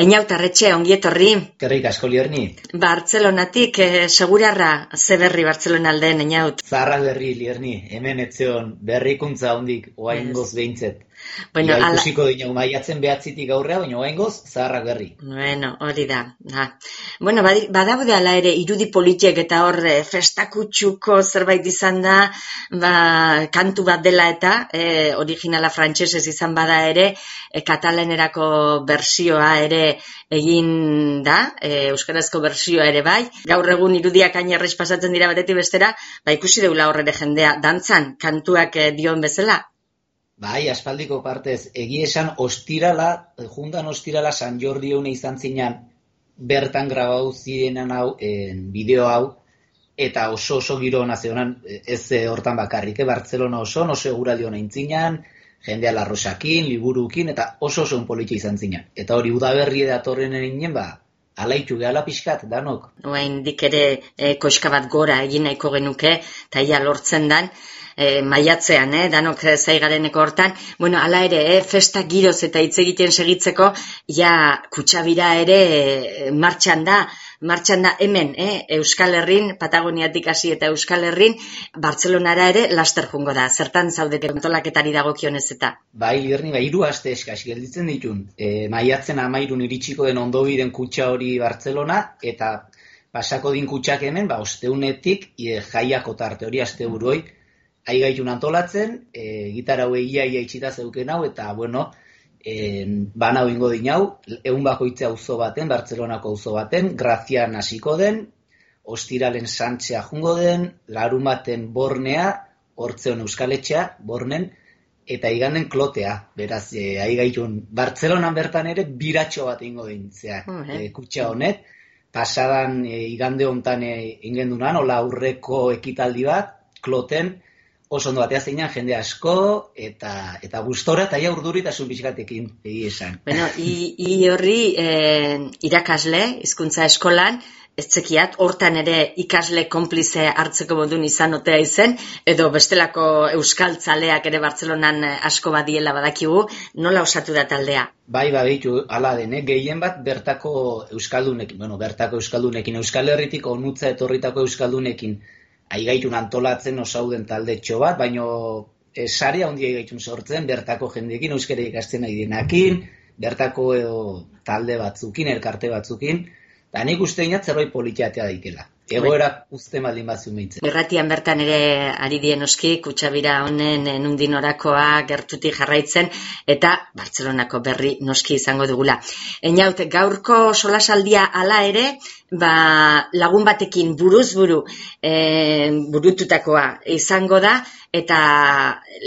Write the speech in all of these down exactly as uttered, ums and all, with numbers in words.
Eñautarretxe, ongietorri. Kerrik asko Lierni. Bartzelonatik, eh, segurarra, ze berri Bartzelona aldean, Eñaut? Zaharra berri Lierni, hemen etzeon berrikuntza hondik oaingoz behintzet. Bueno, Ia ala... ikusiko dinau maiatzen behatzitik aurrea, baina oaingoz zaharrak berri. Bueno, hori da. Ha. Bueno, badaude ala ere irudi politiek eta hor festakutxuko zerbait izan da, ba, kantu bat dela eta, e, originala frantsesez izan bada ere, e, katalanerako bersioa ere egin da, e, euskarazko bersioa ere bai. Gaur egun irudiak ainerrez pasatzen dira batetik bestera, ba ikusi deula horre jendea dantzan, kantuak e, dion bezala. Bai, aspaldiko partez, egia esan ostirala, juntan ostirala San Jordi eune izan zinan, bertan grabau zirenan hau, en, bideo hau, eta oso oso giro nazionan, ez hortan bakarrik, eh? Bartzelona oso, oso eguraldi hona intzinan, jendea larrosakin, liburukin, eta oso oso unpolitxe izan zinan. Eta hori udaberri datorren erinen, ba, alaitu gehala pixkat, danok. Oain dik ere e, koska bat gora egin nahiko genuke, eta ia lortzen dan, E, maiatzean, eh, danok zaigareneko hortan, bueno, ala ere, eh, festa giroz eta hitz egiten segitzeko, ja, kutxabira ere e, martxan da, martxan da hemen, eh, Euskal Herrin, Patagoniatik hasi eta Euskal Herrin, Bartzelonara ere laster jungo da, zertan zaudete antolaketari dagokionez eta. Bai, Lierni, bai, hiru aste eskas gelditzen ditun, e, maiatzen amairun iritsiko den ondobiren kutxa hori Bartzelona, eta pasako din kutxak hemen, ba, osteunetik, e, jaiako tarte hori aste buroi, aigaitun antolatzen, e, gitarra hau egia ia itxita zeuken hau, eta, bueno, e, bana ingo dinau, egun bakoitzea auzo baten, Bartzelonako auzo baten, Grazian hasiko den, ostiralen Santzea jungo den, larun baten Bornea, hortzeon Euskaletxea, Bornen, eta iganen Klotea, beraz, e, aigaitun, Bartzelonan bertan ere, biratxo bat ingo din, zeak, uh -huh. e, kutxa honet, pasadan e, igande hontan e, ingendunan, hola aurreko ekitaldi bat, Kloten, oso ondo batea zeinan jende asko, eta eta gustora eta ja urduritasun pixkatekin egi esan. Bueno, i, i horri eh, irakasle, hizkuntza eskolan, ez zekiat, hortan ere ikasle konplize hartzeko modun izan otea izen, edo bestelako euskaltzaleak ere Bartzelonan asko badiela badakigu, nola osatu da taldea? Bai, baditu, ala dene, gehien bat bertako euskaldunekin, bueno, bertako euskaldunekin, Euskal Herritik onutza etorritako euskaldunekin, aigaitun antolatzen osauden taldetxo bat, baino e, sarea handia aigaitun sortzen, bertako jendeekin, euskara ikasten nahi denakin, bertako edo, talde batzukin, elkarte batzukin, eta nik uste inat zerbait politiatea daikela. Egoera uste maldin batzu meintzen. Irratian bertan ere ari dien oski, kutxabira honen nundin orakoa gertutik jarraitzen, eta Bartzelonako berri noski izango dugula. Eñaut, gaurko solasaldia hala ere, ba, lagun batekin buruz buru e, burututakoa izango da, eta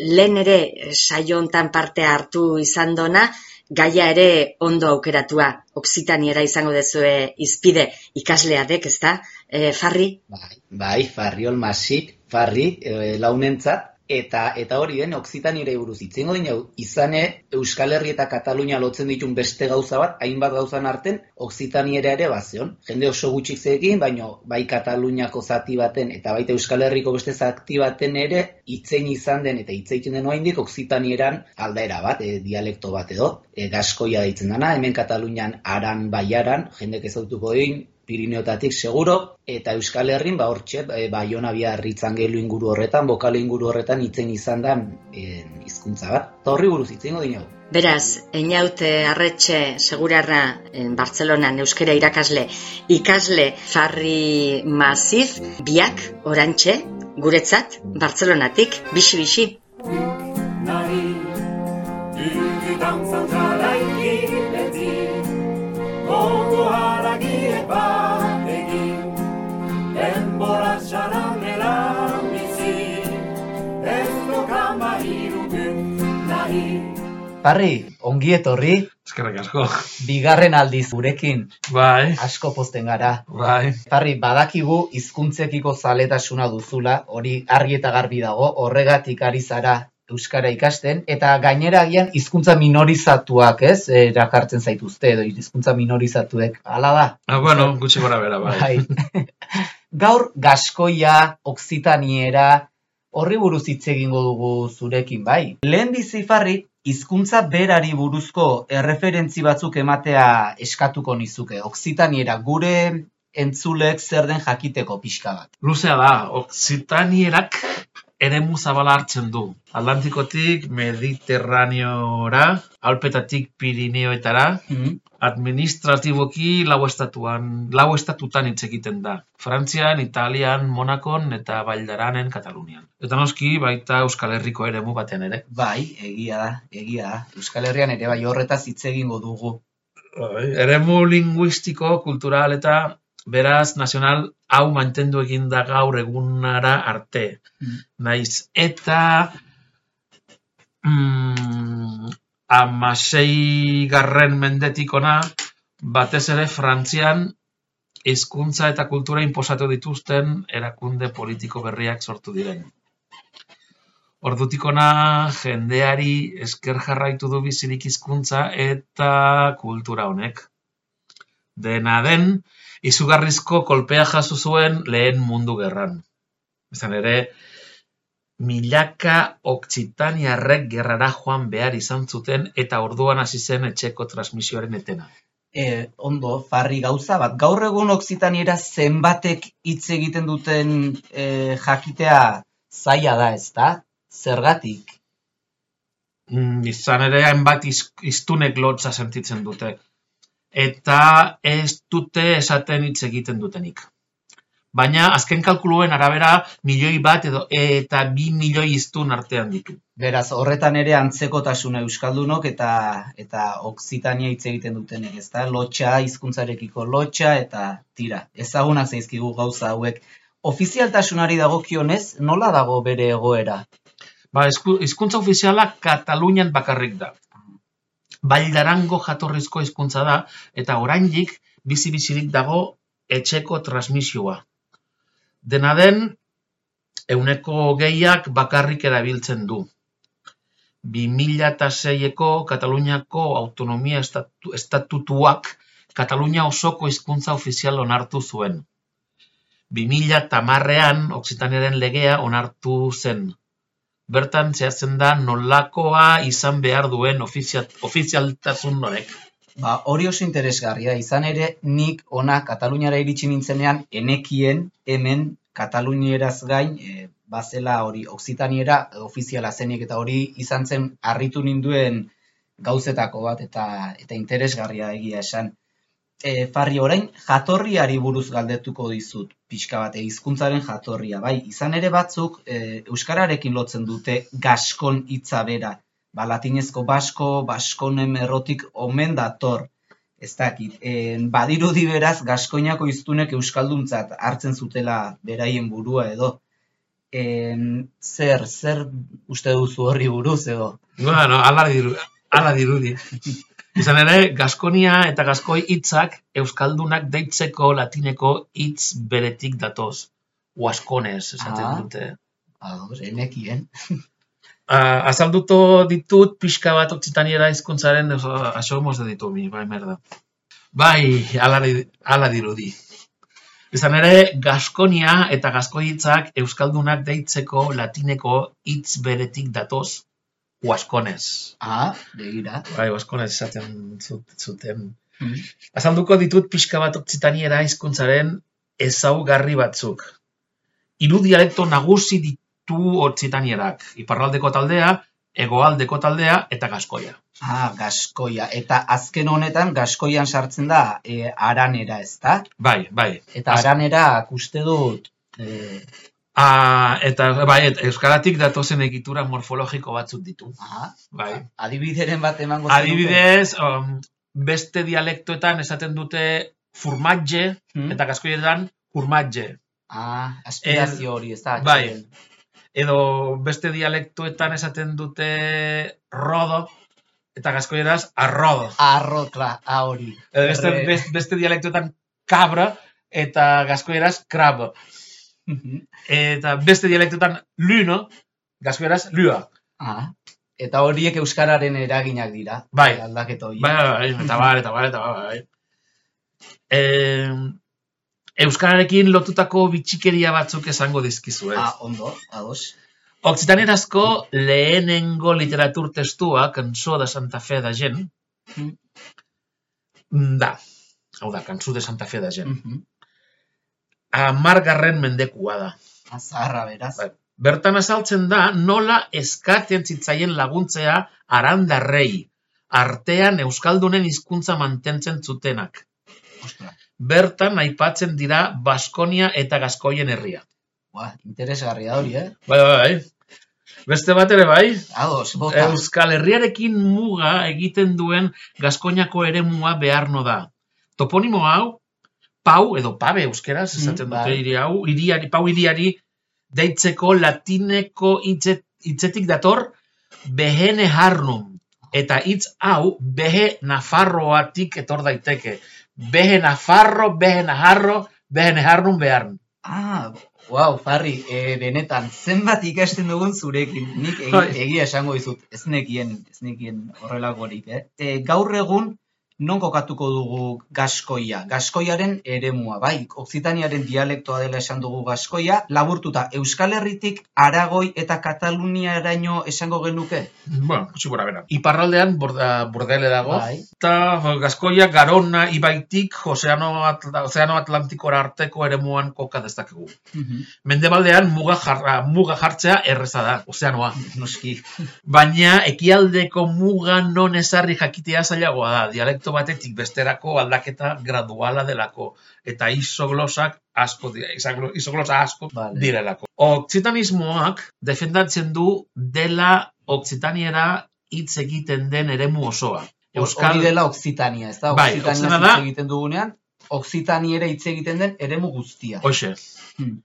lehen ere saio hontan parte hartu izan dona, gaia ere ondo aukeratua, Oksitaniera izango dezue izpide ikasleadek, ez da? E, Farri? Bai, bai, Farri olmasik, Farri, e, launentzat, eta eta hori den, Oksitaniera buruz itzengo dinau, izane Euskal Herri eta Katalunia lotzen ditun beste gauza bat, hainbat gauzan arten, Oksitaniera ere bazion. Jende oso gutxik zeekin, baino bai Kataluniako zati baten, eta baita Euskal Herriko beste zati baten ere, itzein izan den, eta itzeiten den oraindik Oksitanieran aldaera bat, e, dialekto bat edo, e, gaskoia deitzen dana, hemen Katalunian aran baiaran, jendek ezautuko din, Pirineotatik seguro, eta Euskal Herrin, ba hortxe, e, Baiona Biarritzangelu inguru horretan, bokale inguru horretan itzen izan da e, hizkuntza bat. Eta horri buruz itzengo dinau. Beraz, Eñaut Arretxe segurarra en Bartzelonan euskera irakasle, ikasle Farri Masif, biak, orantxe, guretzat, Bartzelonatik, bixi-bixi. Farri, ongi etorri. Eskerrik asko. Bigarren aldiz gurekin. Bai. Asko pozten gara. Bai. Farri, badakigu hizkuntzekiko zaletasuna duzula, hori argi eta garbi dago, horregatik ari zara euskara ikasten, eta gainera agian hizkuntza minorizatuak, ez? Erakartzen zaituzte edo hizkuntza minorizatuek. Hala da? Ah, bueno, gutxi gora bera, bai. bai. Gaur gaskoia, oksitaniera, horri buruz hitz egingo dugu zurekin, bai. Lehen bizi Farri, hizkuntza berari buruzko erreferentzi batzuk ematea eskatuko nizuke. Okzitaniera, gure entzulek zer den jakiteko pixka bat. Luzea da, Okzitanierak eremu zabala hartzen du. Atlantikotik Mediterraneora, Alpetatik Pirineoetara, Mm. administratiboki lau estatuan, lau estatutan hitz egiten da. Frantzian, Italian, Monakon eta Valdaranen, Katalunian. Eta noski baita Euskal Herriko eremu batean ere. Bai, egia da, egia da. Euskal Herrian ere bai horretaz hitz egingo dugu. Bai, eremu linguistiko, kultural eta beraz nazional hau mantendu egin da gaur egunara arte. Mm. Naiz eta mm, amasei garren mendetik ona, batez ere Frantzian hizkuntza eta kultura inposatu dituzten erakunde politiko berriak sortu diren. Ordutik ona jendeari esker jarraitu du bizirik hizkuntza eta kultura honek. Dena den, izugarrizko kolpea jaso zuen lehen mundu gerran. Izan ere, milaka okzitaniarrek gerrara joan behar izan zuten eta orduan hasi zen etxeko transmisioaren etena. E, ondo, Farri, gauza bat. Gaur egun okzitaniera zenbatek hitz egiten duten e, jakitea zaila da, ezta? Zergatik? Mm, izan ere, hainbat iz, iztunek lotza sentitzen dute. Eta ez dute esaten hitz egiten dutenik. Baina azken kalkuluen arabera milioi bat edo eta bi milioi hiztun artean ditu. Beraz, horretan ere antzekotasuna euskaldunok eta eta okzitania hitz egiten dutenek, ezta? Lotxa, hizkuntzarekiko lotxa eta tira. Ezagunak zaizkigu gauza hauek. Ofizialtasunari dagokionez, nola dago bere egoera? Ba, hizkuntza ofiziala Katalunian bakarrik da. Baldarango jatorrizko hizkuntza da eta oraindik bizi-bizirik dago etxeko transmisioa. Dena den, ehuneko hogeiak bakarrik erabiltzen du. bi mila seiko Kataluniako autonomia estatu, estatutuak Katalunia osoko hizkuntza ofizial onartu zuen. bi mila hamarrean Okzitaniaren legea onartu zen. Bertan zehazten da nolakoa izan behar duen ofizial, ofizialtasun horrek. Ba, hori oso interesgarria, izan ere nik ona Kataluniara iritsi nintzenean enekien hemen Katalunieraz gain e, bazela hori okzitaniera ofiziala zenik eta hori izan zen harritu ninduen gauzetako bat eta eta interesgarria egia esan. E, Farri, orain jatorriari buruz galdetuko dizut pixka bat, hizkuntzaren jatorria, bai, izan ere batzuk e, euskararekin lotzen dute gaskon hitza bera. Ba, latinezko basko, baskonen errotik omen dator, ez dakit. E, badirudi beraz, gaskoinako hiztunek euskalduntzat hartzen zutela beraien burua edo. E, zer, zer uste duzu horri buruz edo? Bueno, ala diru, ala dirudi. Izan ere, Gaskonia eta Gaskoi hitzak euskaldunak deitzeko latineko hitz beretik datoz. Huaskonez, esaten Ah. dute. Ados, enekien. Uh, azalduto ditut pixka bat okzitaniera hizkuntzaren asomos de ditu mi, bai merda. Bai, ala, ala dirudi. Izan ere, Gaskonia eta Gaskoi hitzak euskaldunak deitzeko latineko hitz beretik datoz. Huaskonez. Ah, begira. Bai, Huaskonez esaten zuten. Hmm. Azalduko ditut pixka bat okzitaniera hizkuntzaren ezaugarri batzuk. Hiru dialekto nagusi ditu okzitanierak. Iparraldeko taldea, hegoaldeko taldea eta gaskoia. Ah, gaskoia. Eta azken honetan gaskoian sartzen da e, aranera, ezta? Bai, bai. Eta Az- aranera uste dut e, Ah, eta bai, et, euskaratik datozen egitura morfologiko batzuk ditu. ah, Bai. adibideren bat emango zenuke? Adibidez, um, beste dialektoetan esaten dute furmatge Hmm. eta gaskoietan furmatge. Ah, aspirazio hori, ez da? bai. atxeden. Edo beste dialektoetan esaten dute rodo eta gaskoieraz arrodo. Arro, klar, ah, hori. Edo beste, Erre- beste, beste dialektoetan cabra eta gaskoieraz crab. Eta beste dialektoetan luno, gaskoieraz lua. Ah, eta horiek euskararen eraginak dira. Bai. Aldaketa horiek. Bai, bai, bai, eta bar, eta bar, eta bar, bai. Eh, euskararekin lotutako bitxikeria batzuk esango dizkizuet. Ah, ondo, ados. Occitanierazko lehenengo literatur testua, Cançó de Santa Fe de Gent, da, hau da, Cançó de Santa Fe de Gent. Hamargarren mendekua da. Azarra, beraz. Bai. Bertan azaltzen da nola eskatzen zitzaien laguntzea arandarrei, artean euskaldunen hizkuntza mantentzen zutenak. Ostra. Bertan aipatzen dira Baskonia eta Gaskoien herria. Ba, interesgarria hori, eh? Bai, bai, bai. Beste bat ere bai, Ados, bota. Euskal Herriarekin muga egiten duen Gaskoinako eremua beharno da. Toponimo hau, Pau, edo Pabe euskeraz, esaten dute hiri hau, hiriari, Pau hiriari deitzeko latineko hitzet, hitzetik dator behene harnum. Eta hitz hau behe nafarroatik etor daiteke. Behe nafarro, behe naharro, behe naharnum beharn. Ah, wow, Farri, e, benetan, zenbat ikasten dugun zurekin. Nik egi, egia esango dizut, ez nekien, ez nekien horrelakorik, eh? E, gaur egun, non kokatuko dugu Gaskoia? Gaskoiaren eremua, bai, Okzitaniaren dialektoa dela esan dugu Gaskoia, laburtuta, Euskal Herritik Aragoi eta Kataluniaraino esango genuke? Bueno, gutxi gora bera. Iparraldean borda, bordele dago, Bai. eta Gaskoia Garona ibaitik Ozeano, Atla, Ozeano Atlantikora arteko eremuan koka dezakegu. Mendebaldean muga, jarra, muga jartzea erreza da, ozeanoa. Noski. Baina ekialdeko muga non ezarri jakitea zailagoa da, dialekto batetik besterako aldaketa graduala delako, eta isoglosak asko dira, isoglosa asko Vale. direlako. Okzitanismoak defendatzen du dela Okzitaniera hitz egiten den eremu osoa. Hori dela Okzitania, ez da? Bai, Okzitania Okzitania hitz da- egiten dugunean, Okzitaniera hitz egiten den eremu guztia. Hoxe. Hmm.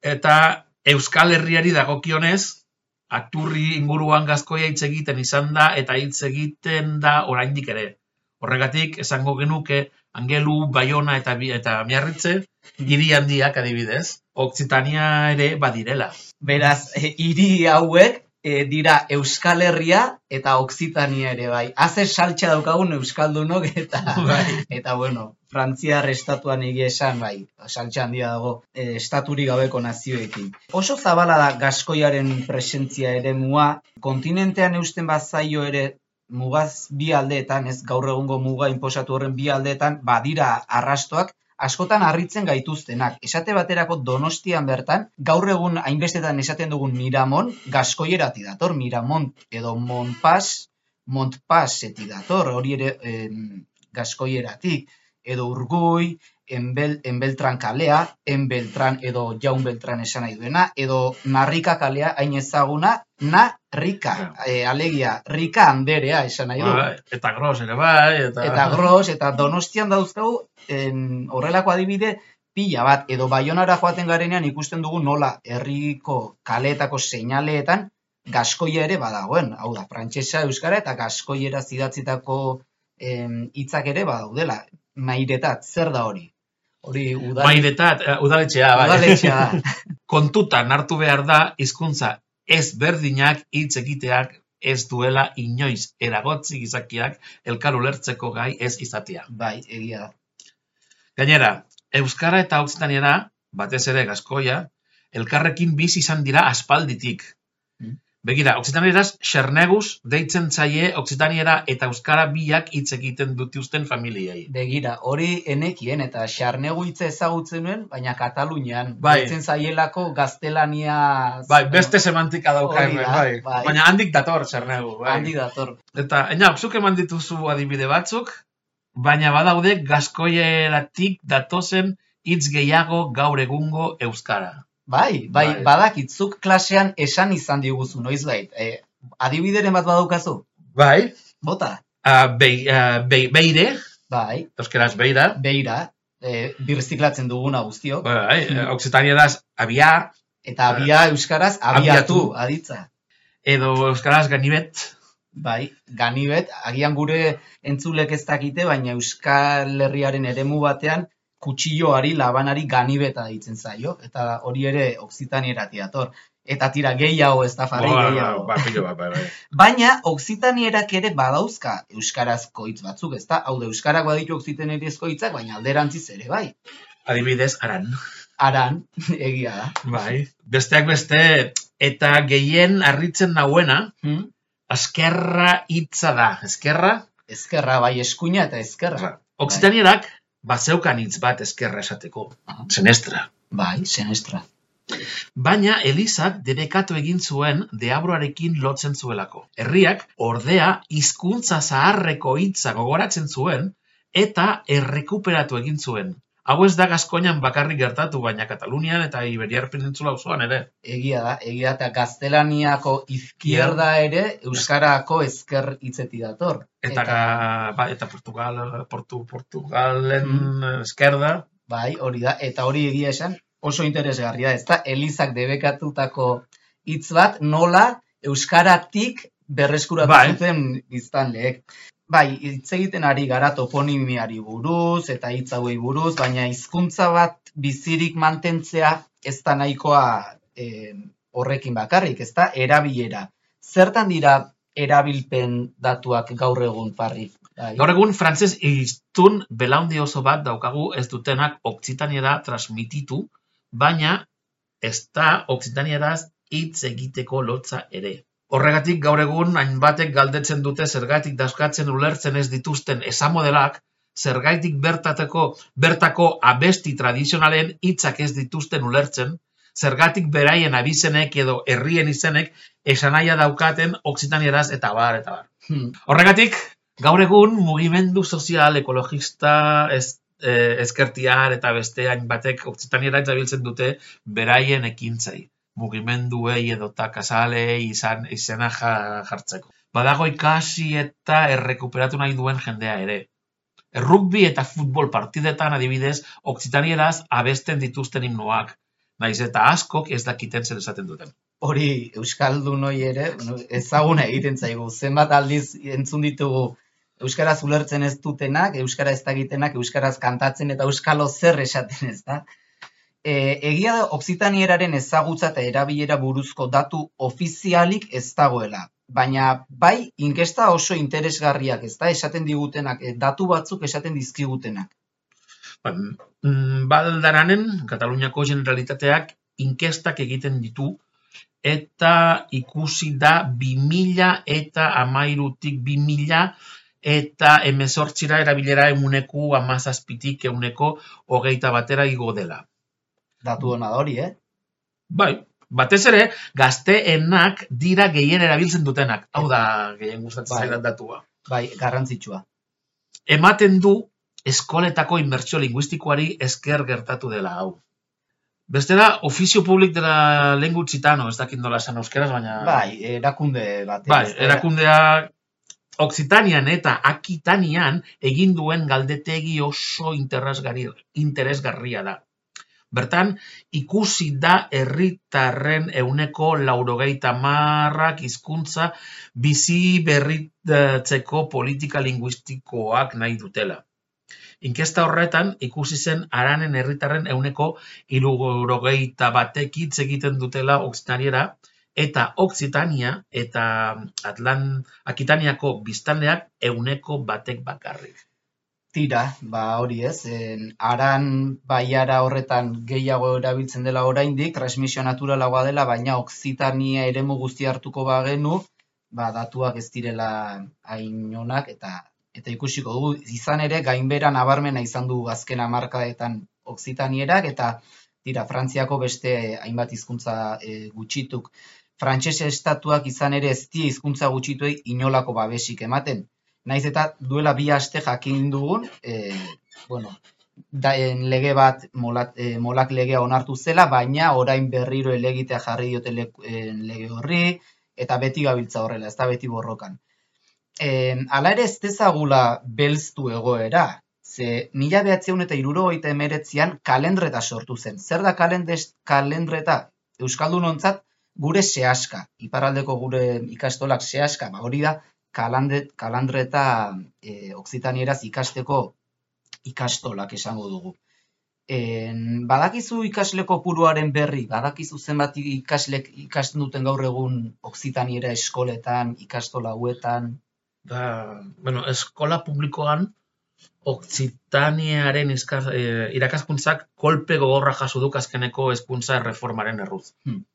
Eta Euskal Herriari dagokionez, Aturri inguruan Gaskoia hitz egiten izan da, eta hitz egiten da oraindik ere. Horregatik, esango genuke, Angelu, Baiona eta, Bi- eta Miarritze, hiri handiak adibidez, Okzitania ere badirela. Beraz, e, hiri hauek e, dira Euskal Herria eta Okzitania ere bai. Haze saltxa daukagun euskaldunok eta, eta bueno, Frantziar estatuan egia esan bai, saltxa handia dago e, estaturik gabeko nazioekin. Oso zabala da Gaskoiaren presentzia eremua, kontinentean eusten bazaio ere mugaz bi aldeetan, ez gaur egungo muga inposatu horren bi aldeetan, badira arrastoak, askotan harritzen gaituztenak. Esate baterako Donostian bertan, gaur egun hainbestetan esaten dugun Miramon, Gaskoierati dator, Miramont edo Montpas, Montpaseti dator, hori ere em, Gaskoieratik, edo Urgui, Enbel, Enbeltran kalea, Enbeltran edo Jaun Beltran esan nahi duena, edo Narrika kalea, hain ezaguna, Narrika, e, alegia, Rika Anderea esan nahi du. Bai, eta gros ere bai, eta... Eta Gros, eta Donostian dauzkagu, en, horrelako adibide, pila bat, edo Baionara joaten garenean ikusten dugu nola herriko kaleetako seinaleetan Gaskoia ere badagoen, hau da, frantsesa, euskara eta Gaskoiera idatzitako em, hitzak ere badaudela. Mairetat, zer da hori? Hori udal... Mairetat, eh, udaletxea, bai. udaletxea da. Kontutan hartu behar da, hizkuntza ez berdinak hitz egiteak ez duela inoiz eragotzi gizakiak elkar ulertzeko gai ez izatea. Bai, egia da. Gainera, euskara eta okzitaniera, batez ere Gaskoia, elkarrekin bizi izan dira aspalditik. Mm. Begira, okzitanieraz xerneguz deitzen zaie okzitaniera eta euskara biak hitz egiten dituzten familiei. Begira, hori enekien eta xarnegu hitza ezagutzen nuen, baina Katalunian. Bai. Deitzen zaielako gaztelania... Bai, beste semantika dauka Hori hemen, da, bai. bai. Baina handik dator xernegu, bai. Handi dator. Eta, ena, zuk eman dituzu adibide batzuk, baina badaude Gaskoieratik datozen hitz gehiago gaur egungo euskara. Bai, bai, Bai. badakitzuk klasean esan izan diguzu, noizbait. E, adibideren bat badaukazu? Bai, Bota? uh, be, uh, be, beire, Bai, euskeraz beira, beira, e, birziklatzen duguna guztiok. bai, uh, okzitanieraz abia, Eta abia euskaraz abiatu, Abiatu. aditza. edo euskaraz ganibet, Bai, ganibet, agian gure entzulek ez dakite, baina Euskal Herriaren eremu batean kutsilloari, labanari ganibeta ditzen zaio, eta hori ere Okzitanieratik dator. Eta tira gehiago ez da farri Bai, gehiago. bai, pilo bat, bai, bai. Baina Okzitanierak ere badauzka euskarazko hitz batzuk, ezta? Hau da, euskarak baditu okzitanierizko hitzak, baina alderantziz ere bai. Adibidez, aran. Aran, egia da. Bai. Besteak beste, Eta gehien harritzen nauena, Hmm? eskerra hitza da. Eskerra? Ezkerra, bai, eskuina eta ezkerra. Oksitanierak, bazeukan hitz bat eskerra esateko. Senestra. Bai, senestra. Baina Elizak debekatu egin zuen deabroarekin lotzen zuelako. Herriak, ordea, hizkuntza zaharreko hitza gogoratzen zuen eta errekuperatu egin zuen. Hau ez da Gaskoinan bakarrik gertatu, baina Katalunian eta Iberiar Penintsula osoan ere. Egia da, egia eta gaztelaniako izquierda ere euskarako ezker hitzetik dator. Eta, eta, ba, eta Portugal, Portu, Portugalen mm. eskerda. Bai, hori da, eta hori egia esan oso interesgarria, ez da, Elizak debekatutako hitz bat nola euskaratik berreskuratu bai. zuten biztanleek. Bai, hitz egiten ari gara toponimiari buruz eta hitz hauei buruz, baina hizkuntza bat bizirik mantentzea ez da nahikoa eh, horrekin bakarrik, ez da, erabilera. Zertan dira erabilpen datuak gaur egun, Parri? Bai. Gaur egun frantses hiztun belaundi oso bat daukagu ez dutenak okzitaniera transmititu, baina ez da okzitanieraz hitz egiteko lotza ere. Horregatik gaur egun hainbatek galdetzen dute zergatik dauzkatzen ulertzen ez dituzten esamodelak, zergatik bertateko bertako abesti tradizionalen hitzak ez dituzten ulertzen, zergatik beraien abizenek edo herrien izenek esanahia daukaten okzitanieraz eta bar eta bar. Hmm. Horregatik gaur egun mugimendu sozial ekologista ez, eh, ezkertiar eta beste hainbatek okzitaniera erabiltzen dute beraien ekintzai. Mugimenduei edota kasalei izan izena jartzeko. Badago ikasi eta errekuperatu nahi duen jendea ere. Rugby eta futbol partidetan adibidez, okzitanieraz abesten dituzten himnoak, naiz eta askok ez dakiten zer esaten duten. Hori euskaldun hori ere ezaguna egiten zaigu. Zenbat aldiz entzun ditugu euskaraz ulertzen ez dutenak, euskara ez dakitenak, euskaraz kantatzen eta euskalo zer esaten ez da. E, egia da okzitanieran ezagutza eta erabilera buruzko datu ofizialik ez dagoela. Baina bai inkesta oso interesgarriak ez da, esaten digutenak, datu batzuk esaten dizkigutenak. Baldaranen, Kataluniako Generalitateak inkestak egiten ditu, eta ikusi da bi mila eta hamairutik bi mila eta hemezortzira erabilera ehuneko hamazazpitik ehuneko hogeita batera igo dela. Datu hona da hori, eh? Bai, batez ere, gazteenak dira gehien erabiltzen dutenak. Hau da, gehien gustatzen zaidan datua. Bai, garrantzitsua. Ematen du eskoletako inmertsio linguistikoari esker gertatu dela hau. Beste da, ofizio publik dela lengua occitano, ez dakit nola esan euskeraz, baina... Bai, erakunde bat. Bai, erakundea Okzitanian eta Akitanian egin duen galdetegi oso interesgarria da. Bertan, ikusi da herritarren ehuneko laurogeita hamarrak hizkuntza bizi berritzeko politika linguistikoak nahi dutela. Inkesta horretan, ikusi zen haranen herritarren ehuneko hirurogeita batek hitz egiten dutela okzitaniera, eta Okzitania eta Atlan Akitaniako biztanleak ehuneko batek bakarrik. Tira, ba hori ez, haran baiara horretan gehiago erabiltzen dela oraindik, transmisio naturalagoa dela, baina Okzitania eremu guzti hartuko bagenu, ba datuak ez direla hain onak eta eta ikusiko dugu, izan ere gainbera nabarmena izan du azken hamarkadetan Okzitanierak eta tira, Frantziako beste hainbat hizkuntza e, gutxituk. Frantses estatuak izan ere ez die hizkuntza gutxituei inolako babesik ematen. Naiz eta duela bi aste jakin dugun, e, bueno, da, en, lege bat molat, e, molak legea onartu zela, baina orain berriro elegitea jarri diote le, en, lege horri, eta beti gabiltza horrela, ez da beti borrokan. E, Hala ere ez dezagula belztu egoera, ze mila behatziehun eta hirurogeita hemeretzian kalendreta sortu zen. Zer da kalendes, kalendreta? Euskaldunontzat gure sehaska, iparraldeko gure ikastolak sehaska, ba hori da, Kalandet, kalandreta e, okzitanieraz ikasteko ikastolak esango dugu. E, badakizu ikasle kopuruaren berri, badakizu zenbat ikaslek ikasten duten gaur egun okzitaniera eskoletan, ikastola hauetan? Da, bueno, eskola publikoan okzitaniaren e, irakaskuntzak kolpe gogorra jaso duk azkeneko hezkuntza erreformaren erruz. Hmm.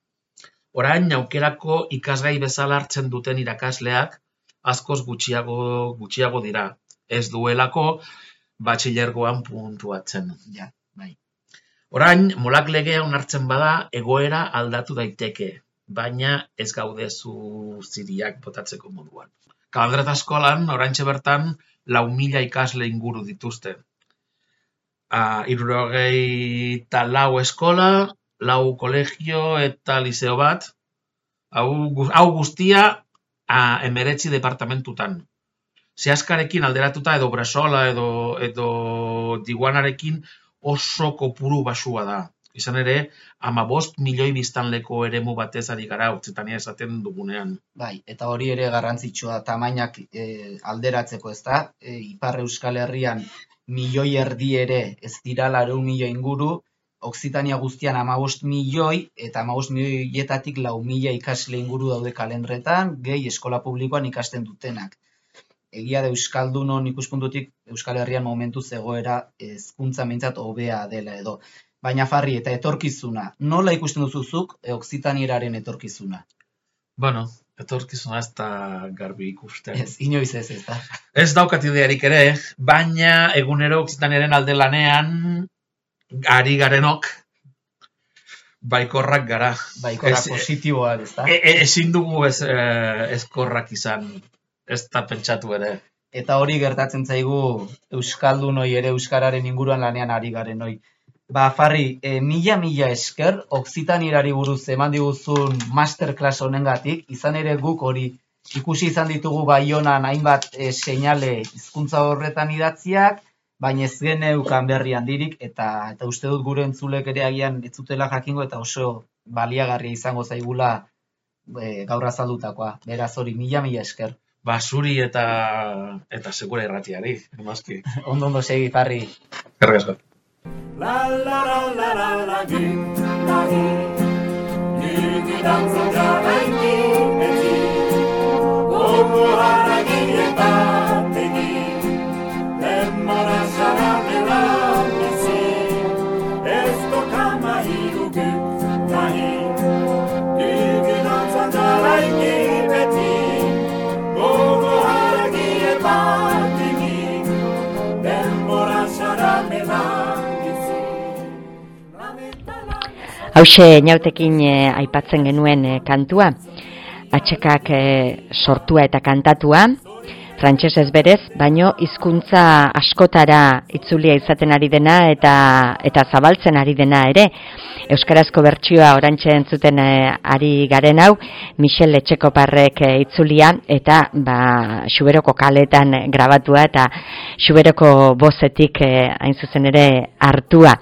orain aukerako ikasgai bezala hartzen duten irakasleak askoz gutxiago, gutxiago dira. Ez duelako batxilergoan puntuatzen. Ja, bai. Orain, molak legea onartzen bada, egoera aldatu daiteke, baina ez gaude zuziriak botatzeko moduan. Kalandreta eskolan, oraintxe bertan, lau mila ikasle inguru dituzte. Uh, Hirurogei lau eskola, lau kolegio eta liceo bat, hau, hau guztia uh, emeretzi departamentutan. Zehaskarekin alderatuta edo Bresola edo, edo Diguanarekin oso kopuru basua da. Izan ere, hamabost milioi biztanleko eremu batez ari gara, Okzitania esaten dugunean. Bai, eta hori ere garrantzitsua tamainak e, alderatzeko, ez da? E, Ipar Euskal Herrian milioi erdi ere ez dira laurehun milioi inguru, Okzitania guztian hamabost milioi, eta hamabost milioietatik lau mila ikasle inguru daude kalendretan, gehi eskola publikoan ikasten dutenak. Egia da Euskaldunon ikuspuntutik Euskal Herrian momentuz egoera hezkuntza behintzat hobea dela edo. Baina Farri, eta etorkizuna, nola ikusten duzuzuk Okzitanieraren etorkizuna? Bueno, etorkizuna ez da garbi ikusten. Ez, inoiz ez, ez da. Ez daukat idearik ere, baina egunero Okzitaniaren alde lanean ari garenok baikorrak gara. Baikorrak positiboak, ez da? E, e, ezin dugu ez, e, ezkorrak izan, ez da pentsatu ere. Eta hori gertatzen zaigu Euskaldunoi ere Euskararen inguruan lanean ari garenoi. Ba, Farri, e, mila-mila esker, Okzitanierari buruz eman diguzun masterclass honengatik, izan ere guk hori ikusi izan ditugu Baionan hainbat e, seinale hizkuntza horretan idatziak, baina ez geneukan berri handirik, eta, eta uste dut gure entzulek ere agian ez zutela jakingo, eta oso baliagarria izango zaigula e, gaur azaldutakoa. Beraz hori, mila-mila esker. Ba, zuri eta, eta segura irratiari, emazki. Ondo ondo segi, Farri. Erregazko. La la la la la la gi la gi gi danza da gi eti como ara gi eta te gi lemara sara de la si esto kama hiru gi la gi gi danza da gi eti como ara gi eta te gi lemara sara de la Hauxe Inautekin e, aipatzen genuen e, kantua, atxekak e, sortua eta kantatua, frantsesez berez, baino hizkuntza askotara itzulia izaten ari dena eta eta zabaltzen ari dena ere. Euskarazko bertsioa orantxe entzuten e, ari garen hau, Michel Etxekoparrek e, itzulia eta ba, Xuberoko kaletan grabatua eta Xuberoko bozetik e, hain zuzen ere hartua.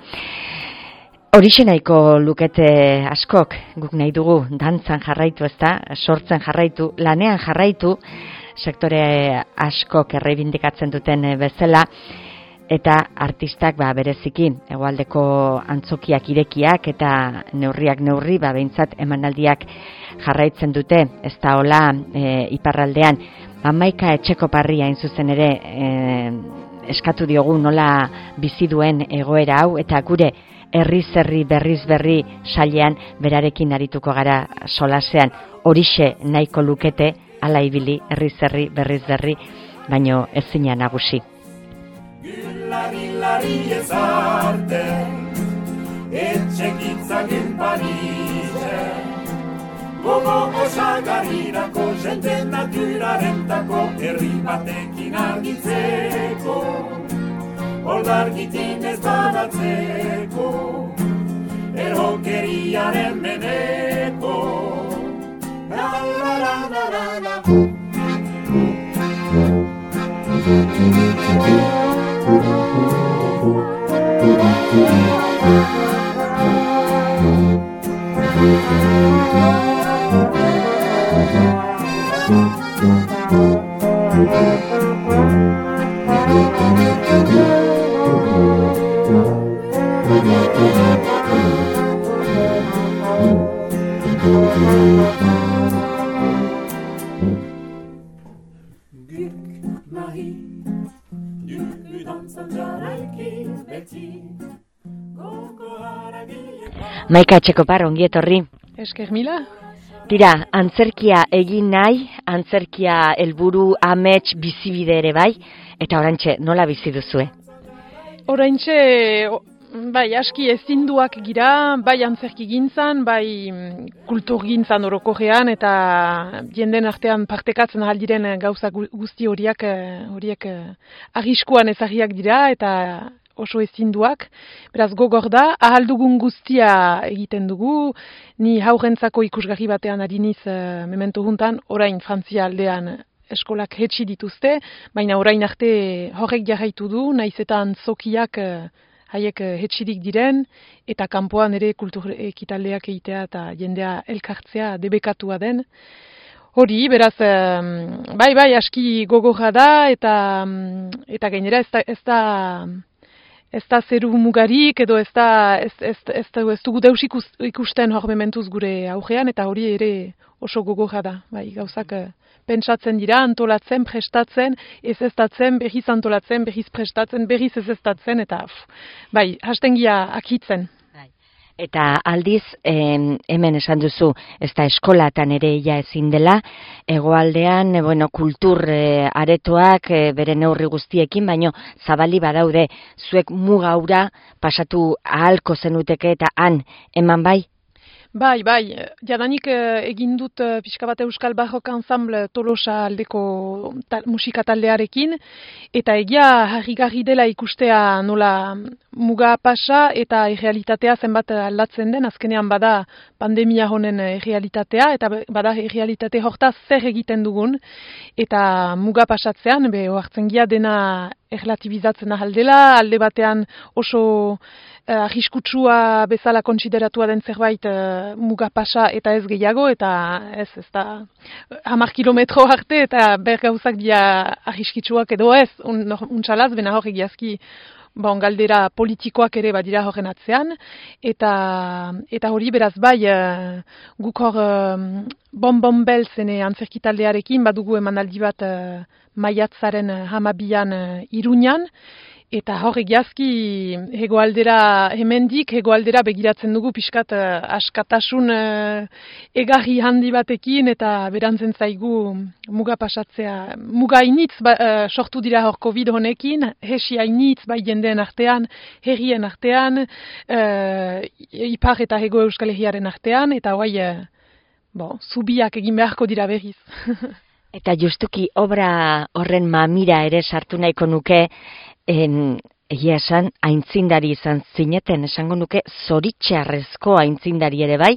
Horixe nahiko lukete askok, guk nahi dugu dantzan jarraitu, ezta, sortzen jarraitu, lanean jarraitu, sektore askok erreibindikatzen duten bezala, eta artistak ba, bereziki, hegoaldeko antzokiak irekiak eta neurriak neurri, ba, behintzat emanaldiak jarraitzen dute, ez da hola e, iparraldean, Hamaika Etxekoparri hain zuzen ere e, eskatu diogu nola bizi duen egoera hau, eta gure herriz herri berriz berri sailean berarekin arituko gara solasean. Horixe nahiko lukete hala ibili herriz herri berriz berri, baino ezina nagusi. Gilari lari ezarte etxekitzagin parize gogo osagarrirako jende naturarentako herri batekin argitzeko Oldargitin ez badatzeko, erokeriaren meneko. La la la la la la. Maika Etxekopar, ongi etorri. Esker mila. Tira, antzerkia egin nahi, antzerkia helburu amets bizibide ere bai, eta orantxe nola bizi duzue? Oraintxe, bai, aski ezinduak gira, bai antzerki gintzan, bai kultur gintzan orokorrean, eta jenden artean partekatzen aldiren gauza guzti horiek, horiek arriskuan ezagiak dira, eta oso ezinduak. Beraz, gogor da, ahal dugun guztia egiten dugu, ni haurrentzako ikusgarri batean ari niz uh, memento juntan, orain Frantzia aldean eskolak hetsi dituzte, baina orain arte horrek jarraitu du, naiz eta antzokiak uh, haiek uh, hetsirik diren, eta kanpoan ere kultur ekitaldeak egitea eta jendea elkartzea debekatua den. Hori, beraz, um, bai, bai, aski gogorra da, eta, um, eta gainera ez da, ez da Ez da zeru mugarik, edo ez da, ez, ez, ez, ez dugu deus ikusten hor mementuz gure aurrean, eta hori ere oso gogorra da. Bai, gauzak pentsatzen dira, antolatzen, prestatzen, ez eztatzen, berriz antolatzen, berriz prestatzen, berriz ez eztatzen, eta bai, hastengia akitzen. Eta aldiz, em, hemen esan duzu, ez da eskolatan ere ia ezin dela, hegoaldean, e, bueno, kultur e, aretoak e, bere neurri guztiekin, baino zabali badaude, zuek mugaura pasatu ahalko zenuteke eta han, eman bai? Bai, bai, jadanik egin dut pixka bat Euskal Barrok Ensemble Tolosa aldeko ta, musika taldearekin, eta egia harrigarri dela ikustea nola muga pasa eta errealitatea zenbat aldatzen den, azkenean bada pandemia honen errealitatea, eta bada errealitate hortaz zer egiten dugun, eta muga pasatzean, be, ohartzen gia dena erlatibizatzen ahaldela, alde batean oso Uh, arriskutsua bezala kontsideratua den zerbait uh, muga pasa eta ez gehiago, eta ez, ez da hamar kilometro arte eta ber gauzak dia arriskitsuak edo ez, un, untxalaz, bena hor egiazki bon, galdera politikoak ere badira horren atzean, eta, eta hori beraz bai uh, guk hor um, bonbon belzene antzerkitaldearekin badugu emanaldi bat uh, maiatzaren hamabian uh, Iruñan, eta hor egiazki hegoaldera hemendik, hegoaldera begiratzen dugu pixkat uh, askatasun uh, egarri handi batekin, eta berantzen zaigu muga pasatzea. Muga initz ba, uh, sortu dira hor COVID honekin, hesi hainitz bai jendeen artean, herrien artean, uh, ipar eta hego Euskal Herriaren artean, eta hoai, uh, bo, zubiak egin beharko dira berriz. Eta justuki obra horren mamira ere sartu nahiko nuke, En, egia esan, aintzindari izan zineten, esango nuke zoritxarrezko aintzindari ere bai,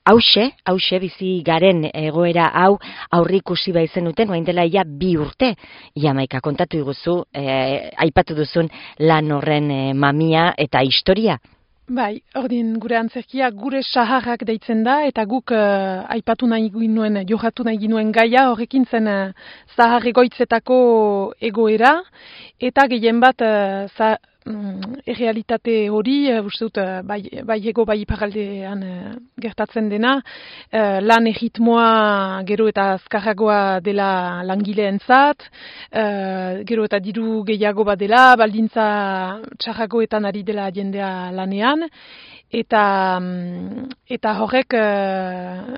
hause, hause bizi garen egoera hau aurrikusi bai zenuten, oain dela ia bi urte, ia maika kontatu iguzu, eh, aipatu duzun lan horren eh, mamia eta historia. Bai, ordin gure antzerkia gure saharrak deitzen da, eta guk uh, aipatu nahi ginuen, johatu nahi ginuen gaia, horrekin zen uh, zahar egoitzetako egoera, eta gehien bat uh, za, um, errealitate hori, uh, uste dut, uh, bai, bai ego bai iparaldean uh, gertatzen dena, uh, lan erritmoa gero eta azkarragoa dela langileentzat, uh, gero eta diru gehiago bat dela, baldintza txarragoetan ari dela jendea lanean, eta eta horrek uh,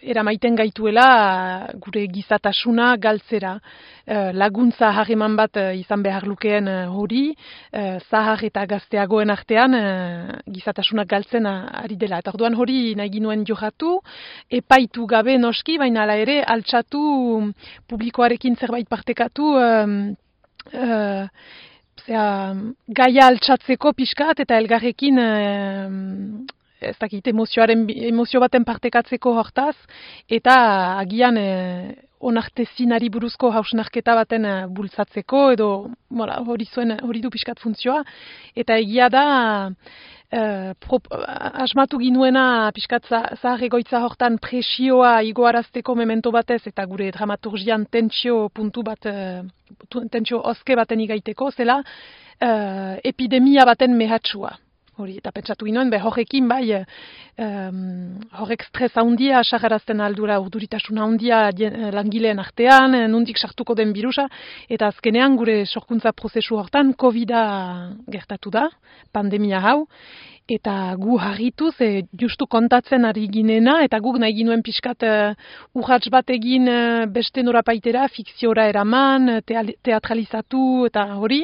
eramaiten gaituela gure gizatasuna galtzera. Uh, laguntza harreman bat uh, izan behar lukeen uh, hori, uh, zahar eta gazteagoen artean uh, gizatasunak galtzen uh, ari dela. Eta orduan hori nahi ginuen johatu, epaitu gabe noski, baina ala ere altxatu publikoarekin zerbait partekatu, um, uh, Zea, gaia altxatzeko pixkat eta elgarrekin eh, ez dakit emozioaren, emozio baten partekatzeko hortaz, eta agian eh, onartezinari buruzko hausnarketa baten eh, bultzatzeko, edo mola, hori, zuen, hori du pixkat funtzioa, eta egia da Uh, prop, asmatu ginuena pixkat zahar egoitza hortan presioa igoarazteko memento batez, eta gure dramaturgian tentsio puntu bat, uh, tentsio oske baten igaiteko, zela uh, epidemia baten mehatxua. Hori, eta pentsatu ginoen, be, horrekin bai, um, horrek stres handia sagarazten aldura, urduritasuna handia langileen artean, nondik sartuko den birusa, eta azkenean gure sorkuntza prozesu hortan COVID-a gertatu da, pandemia hau, eta gu harritu, ze justu kontatzen ari ginena, eta guk nahi ginuen pixkat uh, urrats bat egin uh, beste norapaitera, fikziora eraman, teatralizatu, eta hori,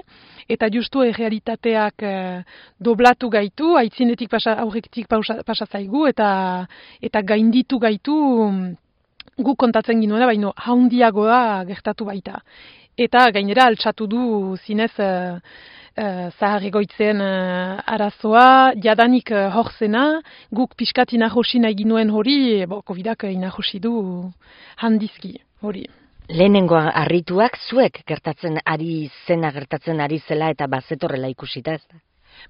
eta justu errealitateak eh, doblatu gaitu, aitzinetik pasa, aurretik pasa, pasa zaigu, eta, eta gainditu gaitu guk kontatzen ginoena, baino haundiagoa gertatu baita. Eta gainera altxatu du zinez eh, eh, zahar egoitzen eh, arazoa, jadanik eh, horzena, guk pixkat inahosi nahi ginuen hori, bo, covidak inahosi du handizki hori. Lehenengo harrituak zuek gertatzen ari zena gertatzen ari zela eta bazetorrela ikusita, ez da?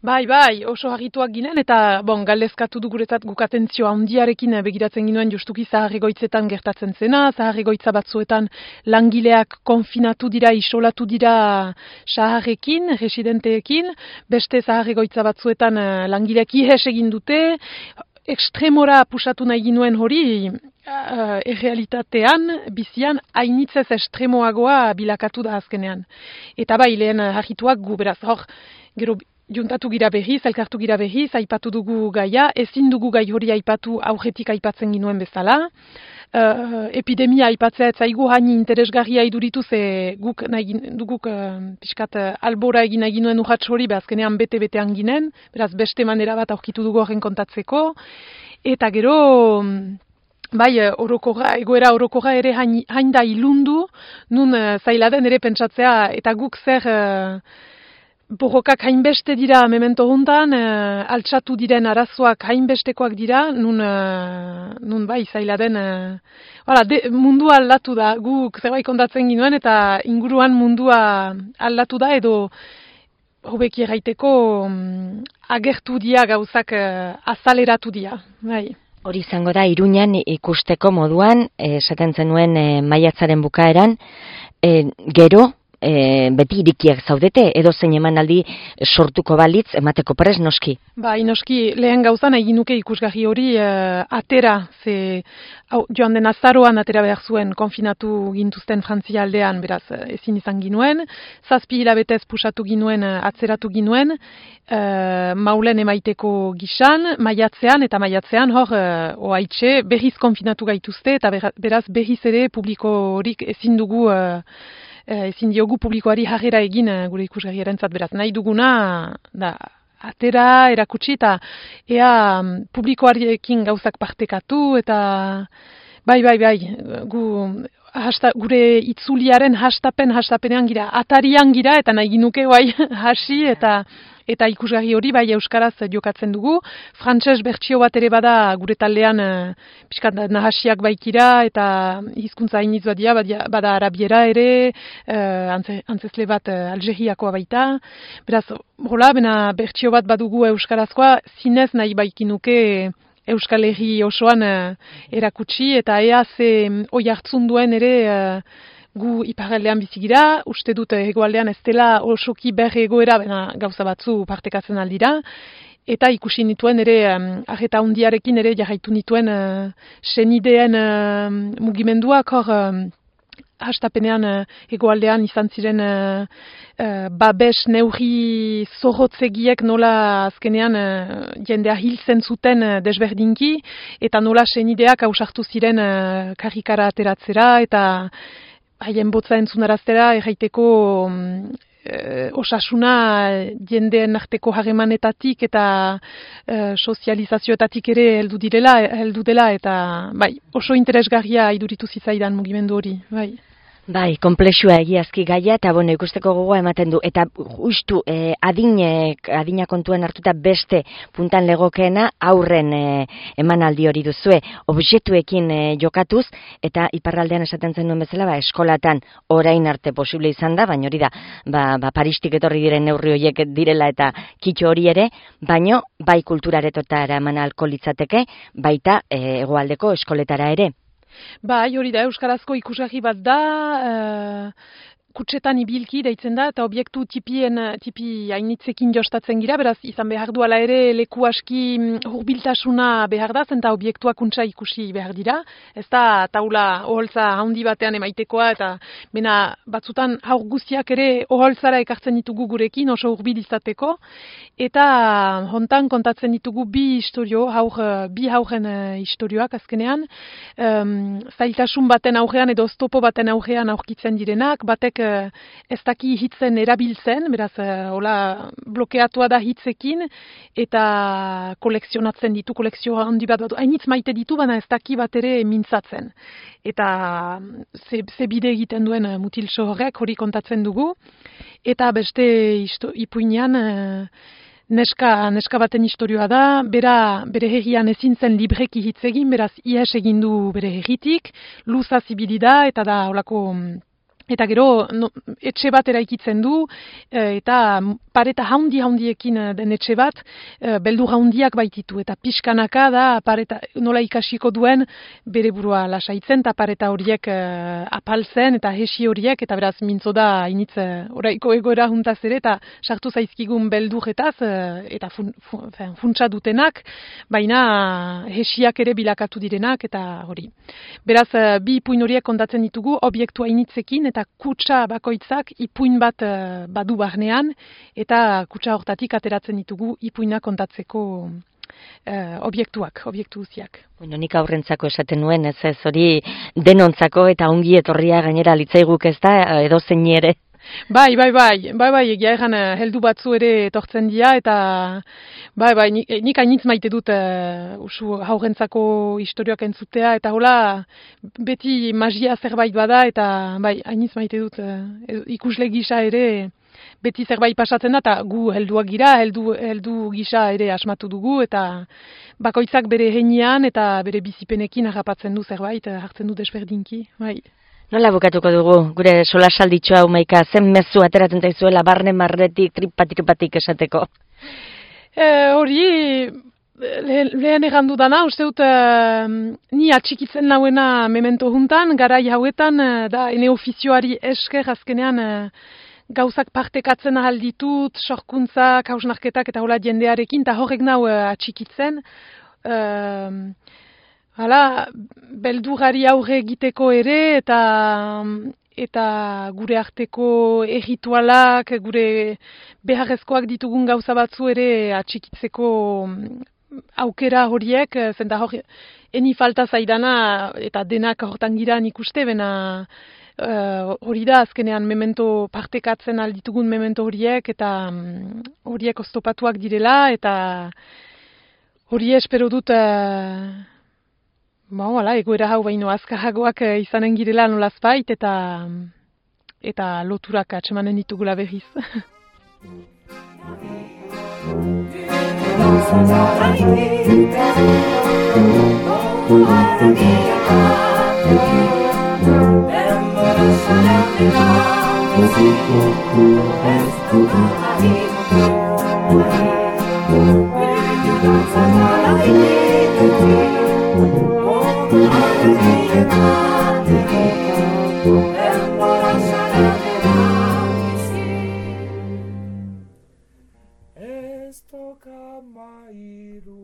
Bai, bai, oso harrituak ginen eta bon, galdezkatu du guretzat guk atentzio handiarekin begiratzen ginuen justuki zahar egoitzetan gertatzen zena, zahar egoitza batzuetan langileak konfinatu dira, isolatu dira saharrekin, residenteekin, beste zahar egoitza batzuetan langileak ihes egin dute, ekstremora pusatu nahi ginuen hori, uh, errealitatean, bizian, hainitzez estremoagoa bilakatu da azkenean. Eta bai, lehen harrituak gu, beraz, hor, gero juntatu gira behiz, elkartu gira behiz, aipatu dugu gaia, ezin dugu gai hori aipatu aurretik aipatzen ginuen bezala. Uh, epidemia aipatzea ez zaigu haini interesgarria iduritu ze guk nahi duguk uh, pixkat uh, albora egin nahi ginuen urratx hori, azkenean bete-betean ginen, beraz beste manera bat aurkitu dugu horren kontatzeko, eta gero bai, orokorra, egoera orokorra ere hain, hain da ilundu, nun uh, zaila den ere pentsatzea, eta guk zer uh, borrokak hainbeste dira memento hontan, uh, altxatu diren arazoak hainbestekoak dira, nun, uh, nun bai, zaila den, uh, hala, de, mundua aldatu da, guk zerbait kontatzen ginuen, eta inguruan mundua aldatu da, edo hobeki erraiteko um, agertu dia gauzak uh, azaleratu dia, bai. Hori izango da, Iruñan ikusteko moduan, esaten zenuen e, maiatzaren bukaeran, e, gero, e, beti irikiak zaudete, edo zein emanaldi sortuko balitz, emateko prest noski? Bai, noski, lehen gauzan egin nuke ikusgarri hori e, atera, ze hau, joan den azaroan atera behar zuen konfinatu gintuzten Frantzia aldean, beraz, ezin izan ginuen, zazpi hilabetez pusatu ginuen, atzeratu ginuen, e, maulen emaiteko gisan, maiatzean, eta maiatzean hor, e, oaitxe, berriz konfinatu gaituzte, eta beraz berriz ere publiko horik ezin dugu, e, ezin diogu publikoari jarrera egin gure ikusgarriarentzat, beraz, nahi duguna, da, atera, erakutsi, eta ea publikoarekin gauzak partekatu, eta bai, bai, bai, gu, hasta, gure itzuliaren hastapen, hastapenean gira, atarian gira, eta nahi ginuke, bai, hasi, eta eta ikusgarri hori bai euskaraz jokatzen dugu. Frantses bertsio bat ere bada gure taldean uh, pixkat nahasiak baikira eta hizkuntza hainitz badia, badia, bada arabiera ere, uh, antze, antzesle bat uh, Algeriakoa baita. Beraz, hola, bena bertsio bat badugu euskarazkoa, zinez nahi baikinuke Euskal Herri osoan uh, erakutsi, eta ea ze oi hartzun duen ere uh, gu iparraldean bizigira, uste dut hegoaldean ez dela osoki berre egoera, bena gauza batzu partekatzen aldira, eta ikusi nituen ere, um, arreta hundiarekin ere jarraitu nituen uh, senideen uh, mugimenduak hor, um, hastapenean uh, hegoaldean izan ziren uh, uh, babes neurri zorrotzegiek nola azkenean uh, jendea hiltzen zuten uh, desberdinki, eta nola senideak ausartu ziren uh, karrikara ateratzera, eta haien botza entzunaraztera, erraiteko um, e, osasuna jendeen arteko harremanetatik eta e, sozializazioetatik ere heldu direla, heldu dela, eta bai, oso interesgarria iduritu zitzaidan mugimendu hori, bai. Bai, konplexua egiazki gaia, eta bueno, ikusteko gogoa ematen du, eta justu eh, adinek, adina kontuen hartuta beste puntan legokeena aurren eh, emanaldi hori duzue, objektuekin eh, jokatuz, eta iparraldean esaten zen duen bezala, ba, eskolatan orain arte posible izan da, baina hori da, ba, ba, Paristik etorri diren neurri horiek direla eta kitxo hori ere, baino bai kulturaretotara eman ahalko litzateke, baita eh, hegoaldeko eskoletara ere. Bai, hori da, euskarazko ikusgarri bat da, uh, kutsetan ibilki deitzen da, eta objektu tipien, tipi hainitzekin jostatzen gira, beraz izan behar duala ere leku aski hurbiltasuna behar da, zenta objektuak kuntza ikusi behar dira. Ez da taula oholtza handi batean emaitekoa, eta bena batzutan haur guztiak ere oholtzara ekartzen ditugu gurekin, oso hurbil izateko, eta hontan kontatzen ditugu bi historio, haur, bi hauren historioak azkenean, um, zailtasun baten aurrean edo oztopo baten aurrean aurkitzen direnak, batek ez daki hitzen erabiltzen, beraz, hola blokeatua da hitzekin, eta kolekzionatzen ditu, kolekzio handi bat bat, hainitz maite ditu, baina ez daki bat ere mintzatzen. Eta ze, ze bide egiten duen mutilso horrek, hori kontatzen dugu, eta beste isto, ipuinean, neska, neska baten historioa da, bera, bere herrian ezin zen libreki hitz egin, beraz, ihes egin du bere herritik, luza zibili da, eta da, holako, eta gero no, etxe bat eraikitzen du, eta pareta haundi haundiekin den etxe bat, beldur haundiak baititu, eta pixkanaka da pareta, nola ikasiko duen bere burua lasaitzen, eta pareta horiek apaltzen, eta hesi horiek, eta beraz mintzo da initz oraiko egoera juntaz ere, eta sartu zaizkigun beldurretaz, eta fun, fun, funtsa dutenak, baina hesiak ere bilakatu direnak, eta hori. Beraz, bi ipuin horiek kontatzen ditugu, objektua initzekin, eta kutsa bakoitzak ipuin bat uh, badu barnean, eta kutsa hortatik ateratzen ditugu ipuina kontatzeko uh, objektuak, objektu guziak. Bueno, nik aurrentzako esaten nuen, ez ez hori denontzako eta ongi etorria gainera litzaiguk ez da, edo zein ere. Bai, bai, bai, bai, bai, egia egan heldu batzu ere etortzen dira, eta bai, bai, nik, nik hainitz maite dut uh, usu haurentzako historioak entzutea, eta hola beti magia zerbait bada, eta bai, hainitz maite dut uh, ikusle gisa ere beti zerbait pasatzen da, eta gu helduak gira, heldu, heldu gisa ere asmatu dugu, eta bakoitzak bere heinean eta bere bizipenekin harrapatzen du zerbait, hartzen du desberdinki, bai. Nola bukatuko dugu, gure solasalditxo hau Maika, zen mezu ateratzen zaizuela barne marretik, tripatik-patik esateko? E, hori, le, lehen egandu dana, uste dut, e, ni atxikitzen nauena memento juntan, garai hauetan, da, ene ofizioari esker azkenean, e, gauzak partekatzen ahal ditut, sorkuntzak, hausnarketak eta hola jendearekin, eta horrek nau e, atxikitzen, e, hala, beldurari aurre egiteko ere, eta eta gure arteko erritualak, gure beharrezkoak ditugun gauza batzu ere atxikitzeko aukera horiek, zenta hori, eni falta zaidana, eta denak hortan gira nik uste, bena uh, hori da azkenean memento partekatzen alditugun memento horiek, eta um, horiek oztopatuak direla, eta hori espero dut... Uh, Ba, hala, egoera hau baino azkarragoak izanen girela nolazbait, eta eta loturak atsemanen ditugula berriz. Esto camairu